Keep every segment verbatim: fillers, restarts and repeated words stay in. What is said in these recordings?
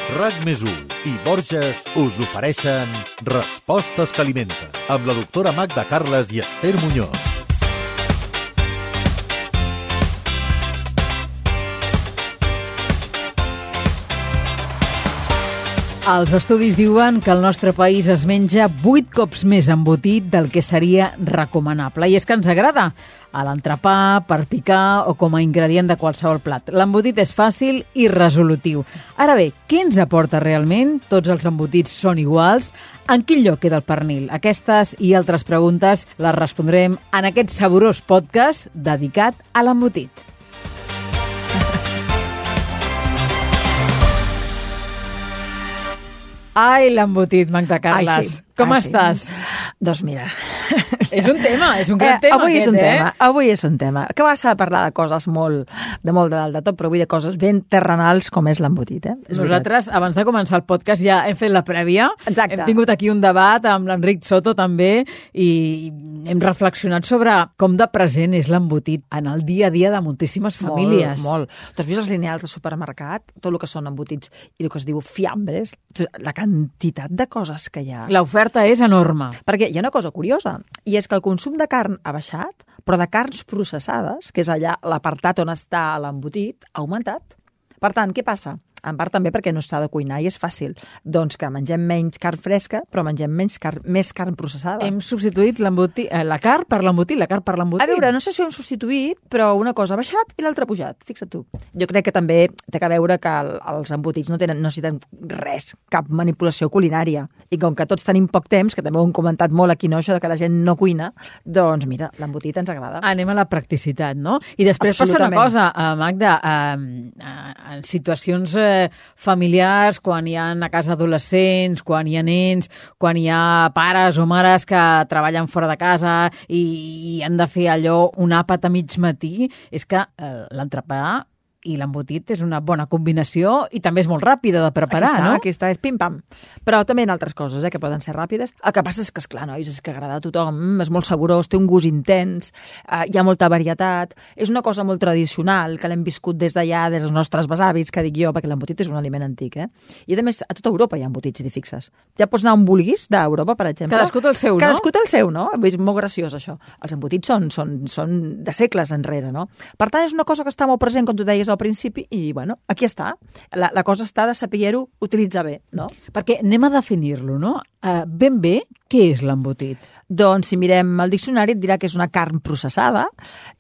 RAC més u i Borges us ofereixen Respostes que alimenten, amb la doctora Magda Carles i Esther Muñoz. Els estudis diuen que el nostre país es menja vuit cops més embotit del que seria recomanable. I és que ens agrada a l'entrepà, per picar o com a ingredient de qualsevol plat. L'embotit és fàcil i resolutiu. Ara bé, què ens aporta realment? Tots els embotits són iguals? En quin lloc queda el pernil? Aquestes i altres preguntes les respondrem en aquest saborós podcast dedicat a l'embotit. Ai, l'embotit, Magda Carles. Ai, sí. Com Ai, estàs? Sí. Doncs mira... És un tema, és un gran eh, tema avui aquest, és un eh? tema, avui és un tema. Que vas a parlar de coses molt, de molt de dalt de tot, però avui de coses ben terrenals com és l'embotit, eh? És Nosaltres, veritat. Abans de començar el podcast, ja hem fet la prèvia. Exacte. Hem tingut aquí un debat amb l'Enric Soto també i hem reflexionat sobre com de present és l'embotit en el dia a dia de moltíssimes famílies. Molt, molt. Tu has vist els lineals de supermercat? Tot el que són embotits i el que es diu fiambres, la quantitat de coses que hi ha. L'oferta és enorme. Perquè hi ha una cosa curiosa, i és que el consum de carn ha baixat, però de carns processades, que és allà l'apartat on està l'embotit, ha augmentat. Per tant, què passa? En part també perquè no s'ha de cuinar i és fàcil. Doncs que mengem menys carn fresca, però mengem menys car més carn processada. Hem substituït eh, la carn per l'embotit, la carn per l'embotit. A veure, no sé si ho hem substituït, però una cosa ha baixat i l'altra ha pujat. Fixa't tu. Jo crec que també té a veure que el, els embotits no tenen, no necessiten res, cap manipulació culinària. I com que tots tenim poc temps, que també ho hem comentat molt aquí, no, això de que la gent no cuina, doncs mira, l'embotit ens agrada. Anem a la practicitat, no? I després passa una cosa, Magda, eh, en situacions eh, familiars, quan hi ha a casa adolescents, quan hi ha nens, quan hi ha pares o mares que treballen fora de casa i, i han de fer allò un àpat a mig matí, és que eh, l'entrepà i l'embotit és una bona combinació i també és molt ràpida de preparar, aquí està, no? Aquí està, és pim-pam. Però també hi ha altres coses, eh, que poden ser ràpides. El que passa és que, esclar, nois, és que agrada a tothom, és molt saborós, té un gust intens, eh, hi ha molta varietat, és una cosa molt tradicional, que l'hem viscut des d'allà, des dels nostres besavis, que dic jo, perquè l'embotit és un aliment antic, eh? I a més, a tota Europa hi ha embotits, si t'hi fixes. Ja pots anar on vulguis d'Europa, per exemple. Cadascú té el seu, no? Cadascú té el seu, no? És molt graciós, això. Els embotits són, són, són de segles enrere, no? Per tant, és una cosa que està molt present, com tu deies al principi, i bueno, aquí està. La, la cosa està de saber-ho utilitzar bé, no? Perquè anem a definir-lo, no? Uh, ben bé, què és l'embotit? Doncs si mirem el diccionari et dirà que és una carn processada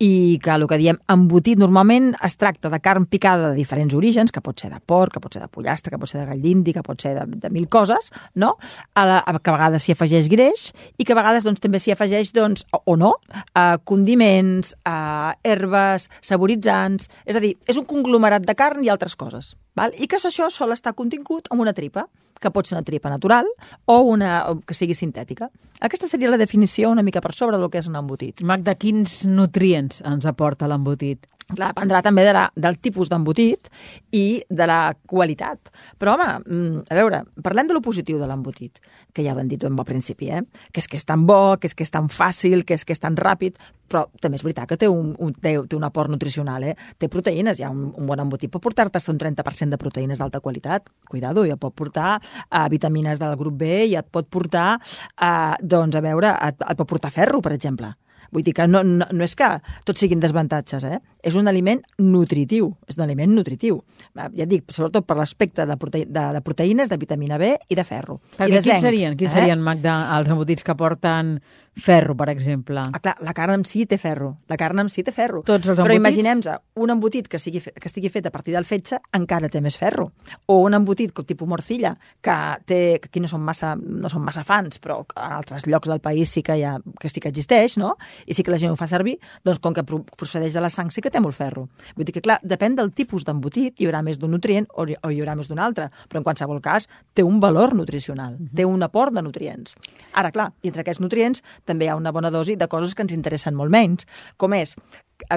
i que el que diem embotit normalment es tracta de carn picada de diferents orígens, que pot ser de porc, que pot ser de pollastre, que pot ser de gall d'indi, que pot ser de, de mil coses, no? A la, a, que a vegades s'hi afegeix greix i que a vegades doncs, també s'hi afegeix, doncs, o, o no, a condiments, a herbes, saboritzants... És a dir, és un conglomerat de carn i altres coses. Val? I que això sol estar contingut en una tripa, que pot ser una tripa natural o una o que sigui sintètica. Aquesta seria la definició una mica per sobre del que és un embotit. Magda, quins nutrients ens aporta l'embotit? Clar, dependrà també de la, del tipus d'embotit i de la qualitat. Però, home, a veure, parlem de lo positiu de l'embotit, que ja ho hem dit al principi, eh? Que és que és tan bo, que és que és tan fàcil, que és que és tan ràpid, però també és veritat que té un, un, té, té un aport nutricional, eh? Té proteïnes, ja un, un bon embotit pot portar-te un trenta per cent de proteïnes d'alta qualitat. Cuidado, ja et pot portar uh, vitamines del grup B, ja et pot portar, uh, doncs, a veure, et, et pot portar ferro, per exemple. Vull dir que no, no, no és que tots siguin desavantatges, eh? És un aliment nutritiu, és un aliment nutritiu. Ja et dic, sobretot per l'aspecte de, prote de, de proteïnes, de vitamina B i de ferro. Perquè I de quins zinc, serien, quins eh? serien, Magda, els embotits que porten ferro, per exemple? Ah, clar, la carn en si té ferro. La carn en si té ferro. Tots els Però embotits? imaginem-nos un embotit que, sigui, que estigui fet a partir del fetge encara té més ferro. O un embotit com tipus morcilla, que, té, que aquí no són, massa, no són massa fans, però en altres llocs del país sí que, hi ha, que sí que existeix, no? I sí que la gent ho fa servir, doncs com que procedeix de la sang sí que té molt ferro. Vull dir que, clar, depèn del tipus d'embotit, hi haurà més d'un nutrient o hi haurà més d'un altre, però en qualsevol cas té un valor nutricional, uh-huh. té un aport de nutrients. Ara, clar, i entre aquests nutrients també hi ha una bona dosi de coses que ens interessen molt menys, com és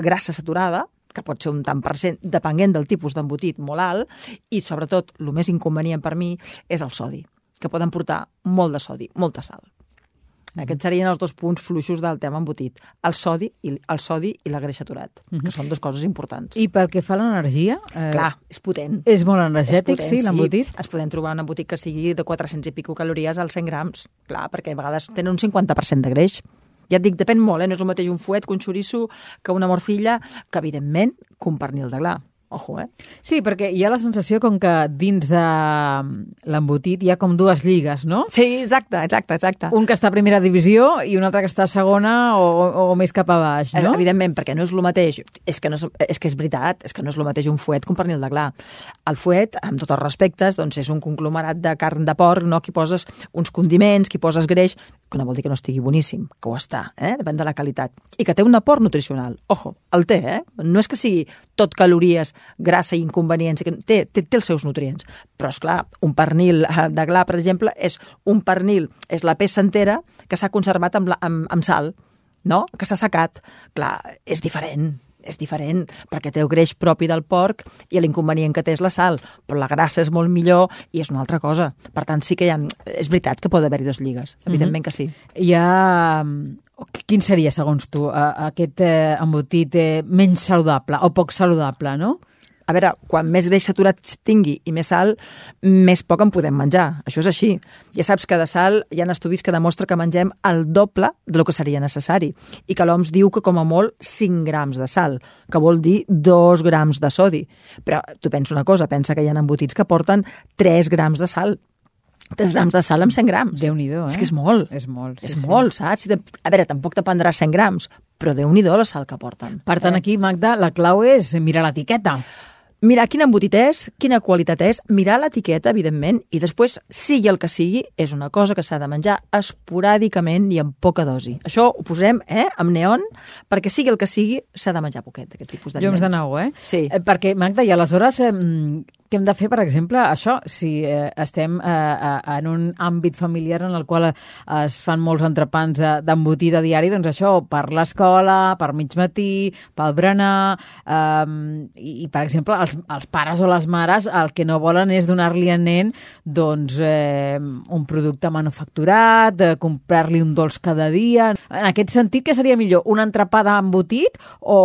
grassa saturada, que pot ser un tant per cent, depenent del tipus d'embotit molt alt, i sobretot, el més inconvenient per mi és el sodi, que poden portar molt de sodi, molta sal. Aquests serien els dos punts fluixos del tema embotit. El sodi i, el sodi i la greix saturat, mm -hmm. que són dues coses importants. I pel que fa a l'energia... Eh, Clar, és potent. És molt energètic, és potent, sí, l'embotit? Sí. Es podem trobar un embotit que sigui de quatre-cents i pico calories als cent grams. Clar, perquè a vegades tenen un cinquanta per cent de greix. Ja et dic, depèn molt, eh? No és el mateix un fuet que un xoriço, que una morcilla, que evidentment que un pernil de gla. Ojo, eh? Sí, perquè hi ha la sensació com que dins de l'embotit hi ha com dues lligues, no? Sí, exacte, exacte, exacte. Un que està a primera divisió i un altre que està a segona o, o, o més cap a baix, no? Evidentment, perquè no és el mateix. És que, no és, és que és veritat, és que no és el mateix un fuet que un pernil de gla. El fuet, amb tots els respectes, doncs és un conglomerat de carn de porc, no? Que hi poses uns condiments, que hi poses greix, que no vol dir que no estigui boníssim, que ho està, eh? Depèn de la qualitat. I que té un aport nutricional. Ojo, el té, eh? No és que sigui tot calories, grassa i inconvenients, té, té, té els seus nutrients. Però, és clar, un pernil de gla, per exemple, és un pernil, és la peça entera que s'ha conservat amb, la, amb, amb sal, no? Que s'ha secat. Clar, és diferent, és diferent, perquè té el greix propi del porc i l'inconvenient que té és la sal, però la grassa és molt millor i és una altra cosa. Per tant, sí que hi ha... És veritat que pot haver-hi dos lligues, evidentment mm-hmm. que sí. Hi ha... Quin seria, segons tu, aquest embotit menys saludable o poc saludable, no? A veure, quan més greix saturat tingui i més sal, més poc en podem menjar. Això és així. Ja saps que de sal hi ha estudis que demostren que mengem el doble del que seria necessari i que l'O M S diu que com a molt cinc grams de sal, que vol dir dos grams de sodi. Però tu pensa una cosa, pensa que hi ha embotits que porten tres grams de sal. tres grams de sal amb cent grams. Déu-n'hi-do, eh? És que és molt. És molt, sí, És sí. molt, saps? A veure, tampoc te prendràs cent grams, però Déu-n'hi-do la sal que porten. Per tant, aquí, Magda, la clau és mirar l'etiqueta. Mirar quin embotit és, quina qualitat és, mirar l'etiqueta, evidentment, i després, sigui el que sigui, és una cosa que s'ha de menjar esporàdicament i amb poca dosi. Això ho posem eh, amb neon, perquè sigui el que sigui, s'ha de menjar poquet, aquest tipus d'aliments. Llums de nou, eh? Sí. Eh, perquè, Magda, i aleshores... Eh, què hem de fer, per exemple, això, si eh, estem eh, en un àmbit familiar en el qual es fan molts entrepans d'embotit a diari, doncs això, per l'escola, per mig matí, pel berenar, eh, i, i, per exemple, els, els pares o les mares el que no volen és donar-li al nen doncs, eh, un producte manufacturat, eh, comprar-li un dolç cada dia. En aquest sentit, què seria millor? Un entrepà d'embotit o,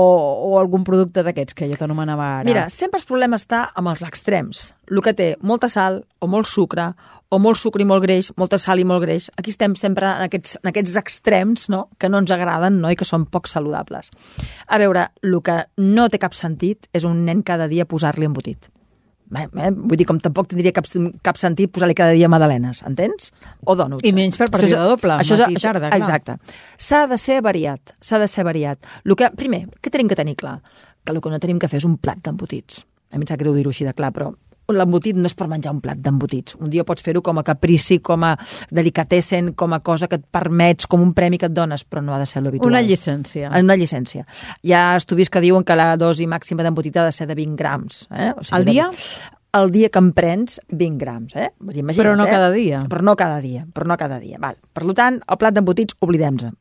o algun producte d'aquests que jo t'anomenava ara? Mira, sempre el problema està amb els extrems. El que té molta sal o molt sucre, o molt sucre i molt greix, molta sal i molt greix. Aquí estem sempre en aquests, en aquests extrems, no?, que no ens agraden, no?, i que són poc saludables. A veure, el que no té cap sentit és un nen cada dia posar-li embotit. Eh, eh? Vull dir, com tampoc tindria cap, cap sentit posar-li cada dia magdalenes, entens? O dònuts. I menys per partida doble, matí i tarda, clar. Exacte. S'ha de ser variat, s'ha de ser variat. El que, primer, què tenim que tenir clar? Que el que no tenim que fer és un plat d'embotits. A mi em sap greu dir-ho així de clar, però l'embotit no és per menjar un plat d'embotits. Un dia pots fer-ho com a caprici, com a delicatessen, com a cosa que et permets, com un premi que et dones, però no ha de ser l'habitual. Una llicència. Una llicència. Hi ha estudis que diuen que la dosi màxima d'embotit ha de ser de vint grams. Eh? O sigui, al dia? De... el dia que em prens vint grams. Eh? Vull dir, imagina't, però no eh? cada dia. Però no cada dia. Però no cada dia. Val. Per tant, el plat d'embotits, oblidem-se.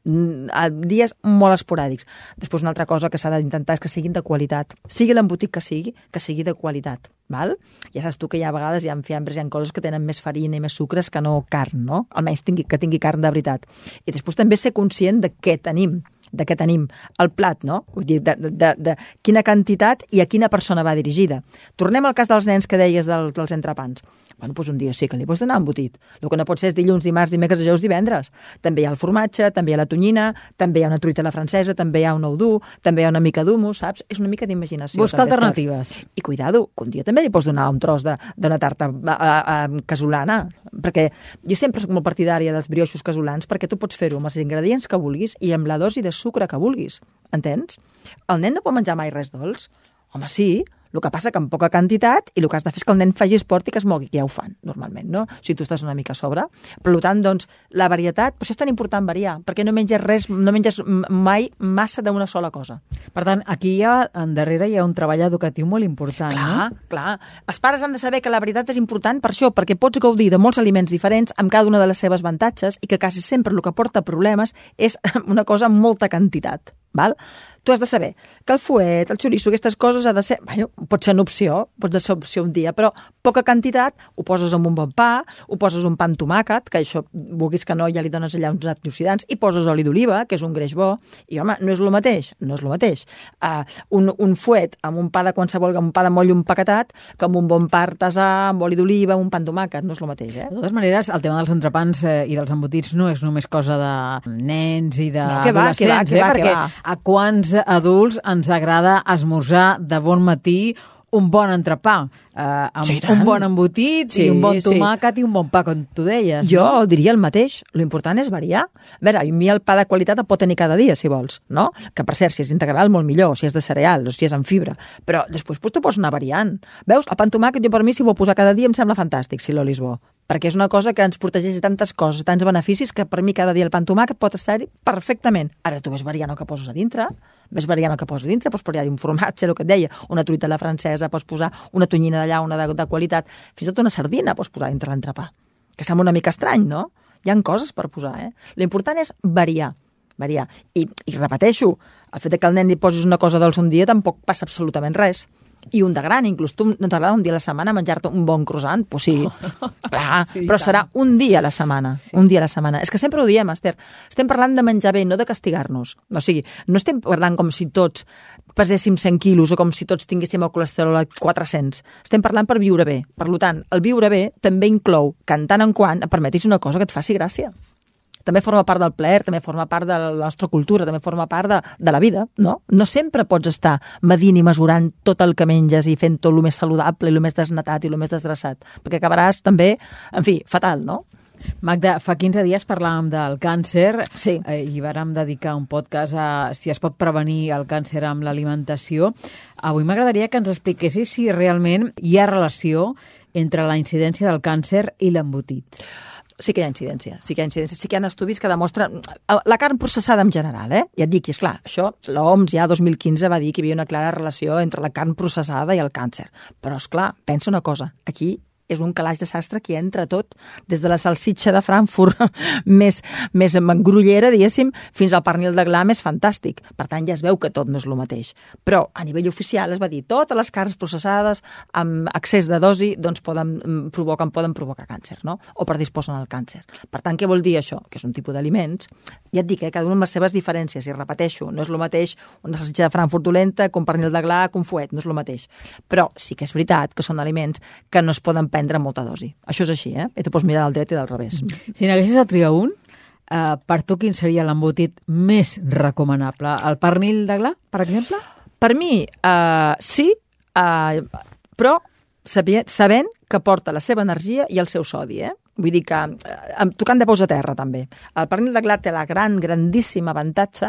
A dies molt esporàdics. Després, una altra cosa que s'ha d'intentar és que siguin de qualitat. Sigui l'embotit que sigui, que sigui de qualitat. Val? Ja saps tu que hi ha vegades hi ha fiambres, hi ha coses que tenen més farina i més sucres que no carn, no? Almenys tingui, que tingui carn de veritat. I després també ser conscient de què tenim, de què tenim el plat, no? Vull dir, de, de, de, de quina quantitat i a quina persona va dirigida. Tornem al cas dels nens que deies del, dels entrepans. Bueno, doncs un dia sí que li pots donar embotit. El que no pot ser és dilluns, dimarts, dimecres, dijous, divendres. També hi ha el formatge, també hi ha la tonyina, també hi ha una truita a la francesa, també hi ha un ou dur, també hi ha una mica d'humus, saps? És una mica d'imaginació. Busca alternatives. I cuidado, que un dia també li pots donar un tros d'una tarta a, a, a, casolana, perquè jo sempre soc molt partidària dels brioixos casolans, perquè tu pots fer-ho amb els ingredients que vulguis i amb la dosi de sucre que vulguis, entens? El nen no pot menjar mai res dolç? Home, sí, el que passa que amb poca quantitat i el que has de fer és que el nen faci esport i que es mogui, que ja ho fan normalment, no? Si tu estàs una mica a sobre. Per tant, doncs, la varietat, per això és tan important variar, perquè no menges res, no menges mai massa d'una sola cosa. Per tant, aquí hi ha, en darrere hi ha un treball educatiu molt important, clar, no? Clar, clar. Els pares han de saber que la varietat és important per això, perquè pots gaudir de molts aliments diferents amb cada una de les seves avantatges i que quasi sempre el que porta problemes és una cosa amb molta quantitat. Val? tu has de saber que el fuet, el xoriço, aquestes coses ha de ser, bueno, pot ser una opció, pot ser opció un dia, però poca quantitat, ho poses amb un bon pa, ho poses un pa amb tomàquet, que això, vulguis que no, ja li dones allà uns antioxidants, i poses oli d'oliva, que és un greix bo, i home, no és el mateix, no és el mateix. Uh, un, un fuet amb un pa de qualsevol, amb un pa de moll empaquetat, que amb un bon pa artesà, amb oli d'oliva, un pa amb tomàquet, no és el mateix, eh? De totes maneres, el tema dels entrepans eh, i dels embotits no és només cosa de nens i d'adolescents, no, eh? Va, perquè a quants adults ens agrada esmorzar de bon matí un bon entrepà, eh, amb sí, un bon embotit sí, i un bon sí. tomàquet i un bon pa, com tu deies. Jo no? diria el mateix. L'important és variar. A veure, a mi el pa de qualitat el pot tenir cada dia, si vols, no? Que, per cert, si és integral, molt millor, si és de cereal, o si és amb fibra. Però després pues, tu pots anar variant. Veus? El pa amb tomàquet, jo per mi, si ho vol posar cada dia, em sembla fantàstic, si l'oli és bo. Perquè és una cosa que ens protegeix de tantes coses, tants beneficis, que per mi cada dia el pa amb tomàquet pot estar-hi perfectament. Ara tu ves variant el que poses a dintre, ves variant el que poses a dintre, pots posar-hi un formatge, el que et deia, una truita a la francesa, pots posar una tonyina d'allà, una de, de qualitat, fins i tot una sardina pots posar dintre l'entrepà, que sembla una mica estrany, no? Hi ha coses per posar, eh? L'important és variar, variar. I, i repeteixo, el fet que el nen li posis una cosa dolça un dia tampoc passa absolutament res. I un de gran, inclús tu no t'agrada un dia a la setmana menjar-te un bon croissant? Pues sí, clar, sí, però serà un dia a la setmana, sí. un dia a la setmana. És que sempre ho diem, Esther, estem parlant de menjar bé, no de castigar-nos. O sigui, no estem parlant com si tots peséssim cent quilos o com si tots tinguéssim el colesterol a quatre-cents. Estem parlant per viure bé. Per tant, el viure bé també inclou que en tant en quant et permetis una cosa que et faci gràcia. També forma part del plaer, també forma part de la nostra cultura, també forma part de, de la vida, no? No sempre pots estar medint i mesurant tot el que menges i fent tot el més saludable i el més desnatat i el més desgraçat, perquè acabaràs també, en fi, fatal, no? Magda, fa quinze dies parlàvem del càncer sí. eh, i vàrem dedicar un podcast a si es pot prevenir el càncer amb l'alimentació. Avui m'agradaria que ens expliquessis si realment hi ha relació entre la incidència del càncer i l'embotit. Sí que hi ha incidència, sí que hi ha incidència, sí que hi ha estudis que demostren la carn processada en general, eh? Ja et dic, és clar, això l'O M S ja dos mil quinze va dir que hi havia una clara relació entre la carn processada i el càncer. Però, és clar, pensa una cosa, aquí és un calaix de sastre que entra tot, des de la salsitxa de Frankfurt més, més grollera, diguéssim, fins al pernil de gla més fantàstic. Per tant, ja es veu que tot no és el mateix. Però, a nivell oficial, es va dir totes les carns processades amb excés de dosi doncs poden, provoquen, poden provocar càncer, no? O predisposen al càncer. Per tant, què vol dir això? Que és un tipus d'aliments. Ja et dic, eh, cada una amb les seves diferències, i repeteixo, no és el mateix una salsitxa de Frankfurt dolenta que un pernil de gla que un fuet, no és el mateix. Però sí que és veritat que són aliments que no es poden prendre molta dosi. Això és així, eh? I tu pots mirar del dret i del revés. Si n'haguessis de triar un, eh, per tu quin seria l'embotit més recomanable? El pernil de gla, per exemple? Per mi, eh, sí, eh, però sabent que porta la seva energia i el seu sodi, eh? Vull dir que, eh, tocant de peus a terra, també. El pernil de gla té la gran, grandíssima avantatge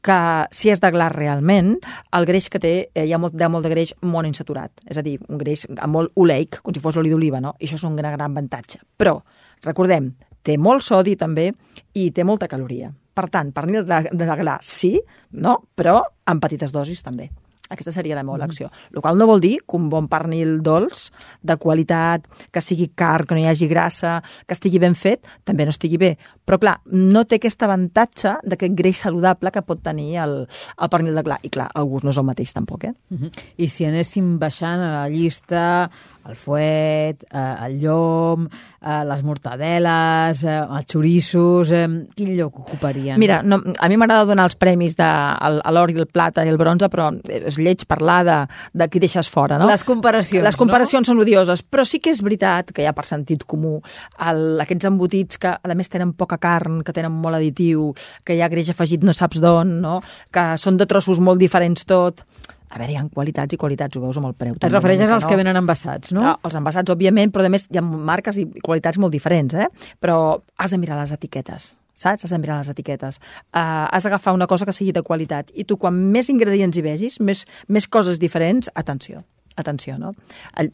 que, si és de gla realment, el greix que té, eh, hi ha molt, hi ha molt de greix monoinsaturat. És a dir, un greix molt oleic, com si fos l'oli d'oliva, no? I això és un gran, gran avantatge. Però, recordem, té molt sodi, també, i té molta caloria. Per tant, pernil de, de gla, sí, no? Però en petites dosis, també. Aquesta seria la meva elecció. El qual no vol dir que un bon pernil dolç, de qualitat, que sigui car, que no hi hagi grassa, que estigui ben fet, també no estigui bé. Però, clar, no té aquest avantatge d'aquest greix saludable que pot tenir el, el pernil de gla. I, clar, el gust no és el mateix, tampoc, eh? Uh -huh. I si anéssim baixant a la llista, el fuet, eh, el llom, eh, les mortadeles, eh, els xoriços, eh, quin lloc ocuparien? Mira, no, a mi m'agrada donar els premis de el, l'or i el plata i el bronze, però és lleig parlar de, de qui deixes fora, no? Les comparacions, Les comparacions no? són odioses, però sí que és veritat que hi ha per sentit comú el, aquests embotits que, a més, tenen poca carn, que tenen molt additiu, que hi ha greix afegit no saps d'on, no? Que són de trossos molt diferents tot. A veure, hi ha qualitats i qualitats, ho veus amb el preu. Et refereixes als no? que venen envasats, no? no? Els envasats, òbviament, però a més hi ha marques i qualitats molt diferents, eh? Però has de mirar les etiquetes, saps? Has de mirar les etiquetes. Uh, has d'agafar una cosa que sigui de qualitat. I tu, quan més ingredients hi vegis, més, més coses diferents, atenció. Atenció, no?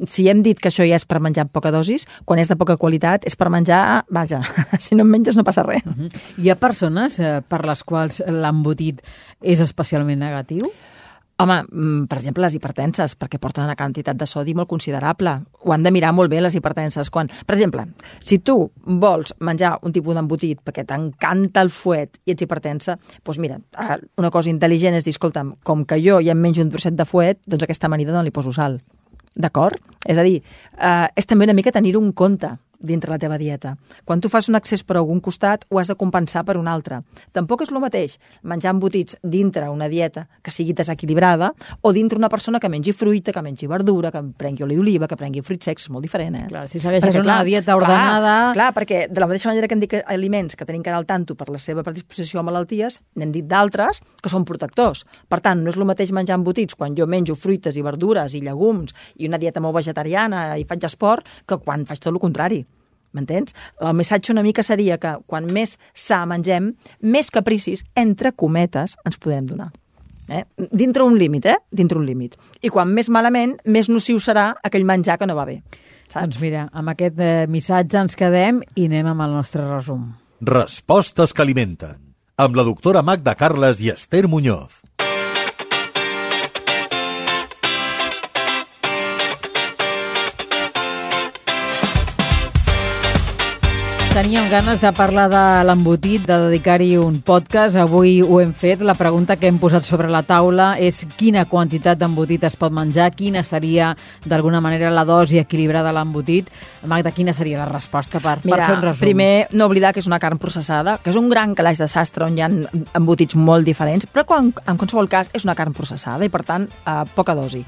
Si hem dit que això ja és per menjar amb poca dosis, quan és de poca qualitat és per menjar, vaja, si no en menges no passa res. Uh-huh. Hi ha persones eh, per les quals l'embotit és especialment negatiu? Home, per exemple, les hipertenses, perquè porten una quantitat de sodi molt considerable. Ho han de mirar molt bé, les hipertenses. Quan, per exemple, si tu vols menjar un tipus d'embotit perquè t'encanta el fuet i ets hipertensa, doncs mira, una cosa intel·ligent és dir, escolta'm, com que jo ja em menjo un trosset de fuet, doncs aquesta amanida no li poso sal. D'acord? És a dir, eh, és també una mica tenir-ho en compte dintre la teva dieta. Quan tu fas un excés per algun costat, ho has de compensar per un altre. Tampoc és el mateix menjar embotits dintre una dieta que sigui desequilibrada o dintre una persona que mengi fruita, que mengi verdura, que prengui oli d'oliva, que prengui fruits secs, és molt diferent, eh? Clar, si segueixes perquè, una clar, dieta ordenada... Clar, clar, perquè de la mateixa manera que hem dit que aliments que tenim que anar al tanto per la seva predisposició a malalties, n'hem dit d'altres que són protectors. Per tant, no és el mateix menjar embotits quan jo menjo fruites i verdures i llegums i una dieta molt vegetariana i faig esport que quan faig tot el contrari. M'entens? El missatge una mica seria que quan més sa mengem, més capricis, entre cometes, ens podem donar. Eh? Dintre un límit, eh? Dintre un límit. I quan més malament, més nociu serà aquell menjar que no va bé. Saps? Doncs mira, amb aquest eh, missatge ens quedem i anem amb el nostre resum. Respostes que alimenten. Amb la doctora Magda Carles i Esther Muñoz. Teníem ganes de parlar de l'embotit, de dedicar-hi un podcast. Avui ho hem fet. La pregunta que hem posat sobre la taula és quina quantitat d'embotit es pot menjar, quina seria, d'alguna manera, la dosi equilibrada de l'embotit. Magda, quina seria la resposta per, Mira, per fer un resum? Primer, no oblidar que és una carn processada, que és un gran calaix de sastre on hi ha embotits molt diferents, però quan, en qualsevol cas és una carn processada i, per tant, a poca dosi.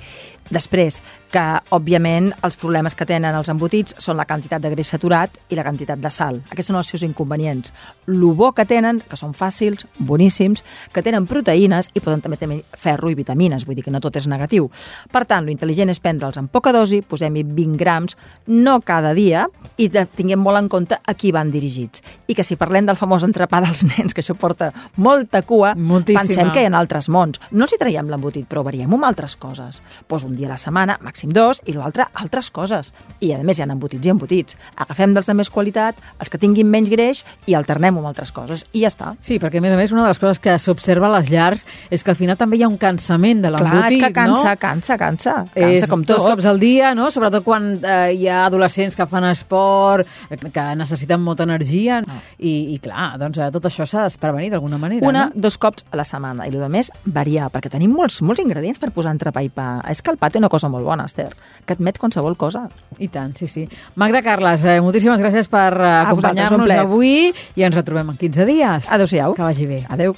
Després, que, òbviament, els problemes que tenen els embotits són la quantitat de greix saturat i la quantitat de sal. Aquests són els seus inconvenients. Lo bo que tenen, que són fàcils, boníssims, que tenen proteïnes i poden també tenir ferro i vitamines, vull dir que no tot és negatiu. Per tant, lo intel·ligent és prendre'ls en poca dosi, posem-hi vint grams, no cada dia, i tinguem molt en compte a qui van dirigits. I que si parlem del famós entrepà dels nens, que això porta molta cua, Moltíssima. Pensem que hi ha altres mons. No els hi traiem l'embotit, però variem amb altres coses. Pues un dia a la setmana, màxim dos, i l'altre altres coses. I a més hi ha embotits i embotits. Agafem dels de més qualitat, els que tinguin menys greix i alternem amb altres coses. I ja està. Sí, perquè a més a més una de les coses que s'observa a les llars és que al final també hi ha un cansament de l'embotit, no? Clar, és que cansa, no? cansa, cansa. Cansa és com tot. Dos cops al dia, no? Sobretot quan eh, hi ha adolescents que fan esport, que necessiten molta energia, no. I, i clar, doncs tot això s'ha de prevenir d'alguna manera. Una, no? dos cops a la setmana. I el més, variar, perquè tenim molts, molts ingredients per posar entrepà i pa. És que el pa té una cosa molt bona, Esther, que admet qualsevol cosa. I tant, sí, sí. Magda Carles, eh, moltíssimes gràcies per eh, acompanyar-nos avui i ens retrobem en quinze dies. Adéu-siau. Que vagi bé. Adéu.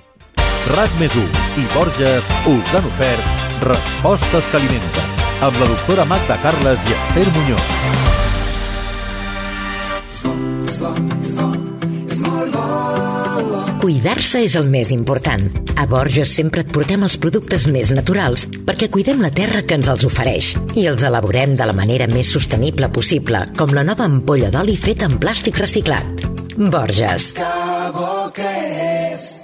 RAC més u i Borges us han ofert Respostes que alimenten amb la doctora Magda Carles i Esther Muñoz. Cuidar-se és el més important. A Borges sempre et portem els productes més naturals perquè cuidem la terra que ens els ofereix i els elaborem de la manera més sostenible possible, com la nova ampolla d'oli feta en plàstic reciclat. Borges. Que bo que és